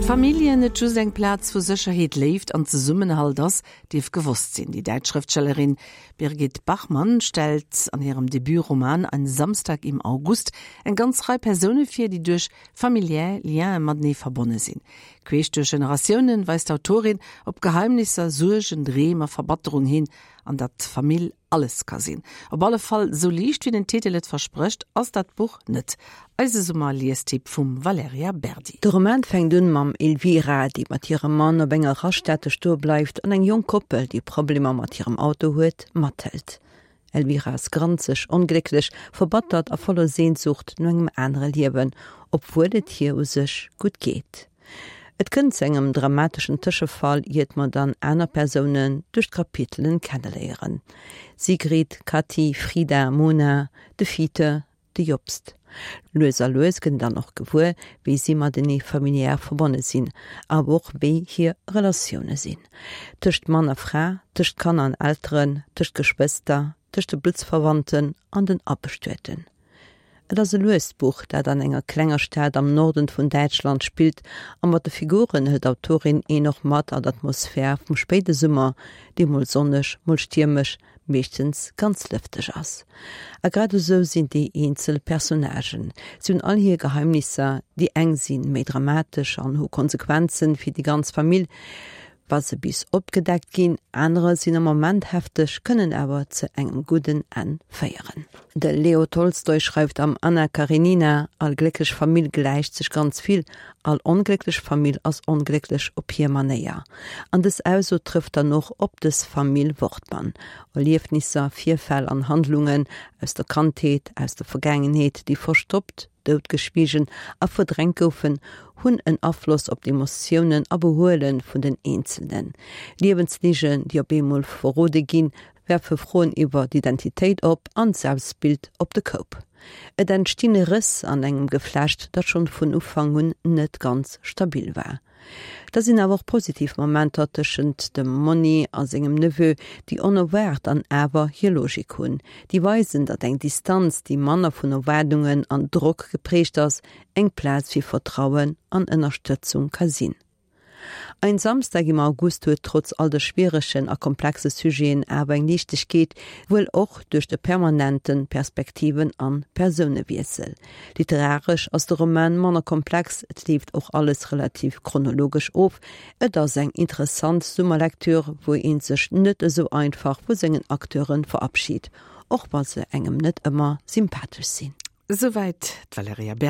Familljen net just eng Plaz vu Sécherheet, Léift an Zesummenhalt ass, dierf gewosst sinn. Déi däitsch Schrëftstellerin Birgit Bachmann stellt an hirem Debutroman Ein Samstag im August eng ganz Rei Persoune vir, déi duerch familiär Liene matenee verbonne sinn. Queesch duerch Generatiounen weist d'Autorin op Geheimnisser, Suergen, Dreem a Verbatterung hin, an datt Famill alles ka sinn. Op alle Fall sou liicht wéi den Titel et versprécht ass dat Buch net. Eise Summer-Liestipp vum Valerija Berdi. De Roman fänkt un mam Elvira, déi mat hirem Mann op enger Raststätte stoe bleift an eng jonk Koppel, déi Problemer mat hirem Auto huet, mathëlt. Elvira ass granzeg, onglécklech, verbattert a voller Sehnsucht no engem anere Liewen, obwuel et hir u sech gutt geet. Et kënnt zu engem dramateschen Tëschefall, iert mer dann aner Persounen duerch d'Kapitelen kenneléieren, Sigrid, Kathi, Frida, Mona, de Fiete, de Jobst. Lues a lues gëtt een dann och gewuer, wéi si matenee familiär verbonne sinn, awer och wéi hir Relatioune sinn. Tëscht Mann a Fra, tëscht Kanner an Elteren, tëscht Geschwëster, tëscht de Bluttsverwandten an den Abestueten. Et ass e luest Buch, dat an enger klenger Stad am Norden vun Däitschland spillt a mat de Figuren hëlt d'Autorin een och mat an d'Atmosphär vum spéide Summer, dee mol sonneg, mol stiermesch, meeschtens ganz lëfteg ass. A grad esou sinn déi eenzel Personnagen. Si hunn all hir Geheimnisser, déi eng si méi dramatesch an hu Konsequenzen fir déi ganz Famill, wa se bis opgedeckt ginn, anerer sinn am Moment hefteg, kënnen awer ze engem gudden Enn féieren. De Leo Tolstoi schreift am Anna Karenina, All glécklech Famill gläicht sech ganz vill, all onglécklech Famill ass onglécklech op hir Manéier. An dës Ausso trëfft dann och op dës Famill Wortmann. Erliefnisser, Virfäll an Handlungen aus der Kandheet, aus der Vergaangenheet, déi verstoppt, doutgeschwiegen a verdrängt goufen, hunn en Afloss op d'Emotiounen a Behuele vun den Eenzelnen. Liewensligen, déi op eemol verrode ginn, werfe Froen iwwer d'Identitéit op an d'Selbstbild op de Koup. Et entstinn Rëss an engem Geflecht, dat schonn vun Ufank un net ganz stabil war. Da sinn awer och positiv Momenter tëschent dem Monni a sengem Neveu, déi onerwaart an awer hir Logik hunn, déi weisen, datt eng Distanz, déi manner vun Erwaardungen an Drock geprägt ass, eng Plaz fir Vertrauen an Ënnerstëtzung ka sinn. Ein Samstag im August huet trotz all de schwieregen a komplexe Sujeten awer eng Liichtegkeet, wuel och duerch de permanente Perspektiven an Persounewiessel. Literaresch ass de Roman manner komplex, et leeft och alles relativ chronologesch of. Et ass eng interessant Summerlektür, wou ee sech net esou einfach vu sengen Acteure verabschit, och wa se engem net ëmmer sympathesch sinn. Esouwäit d'Valerija Berdi.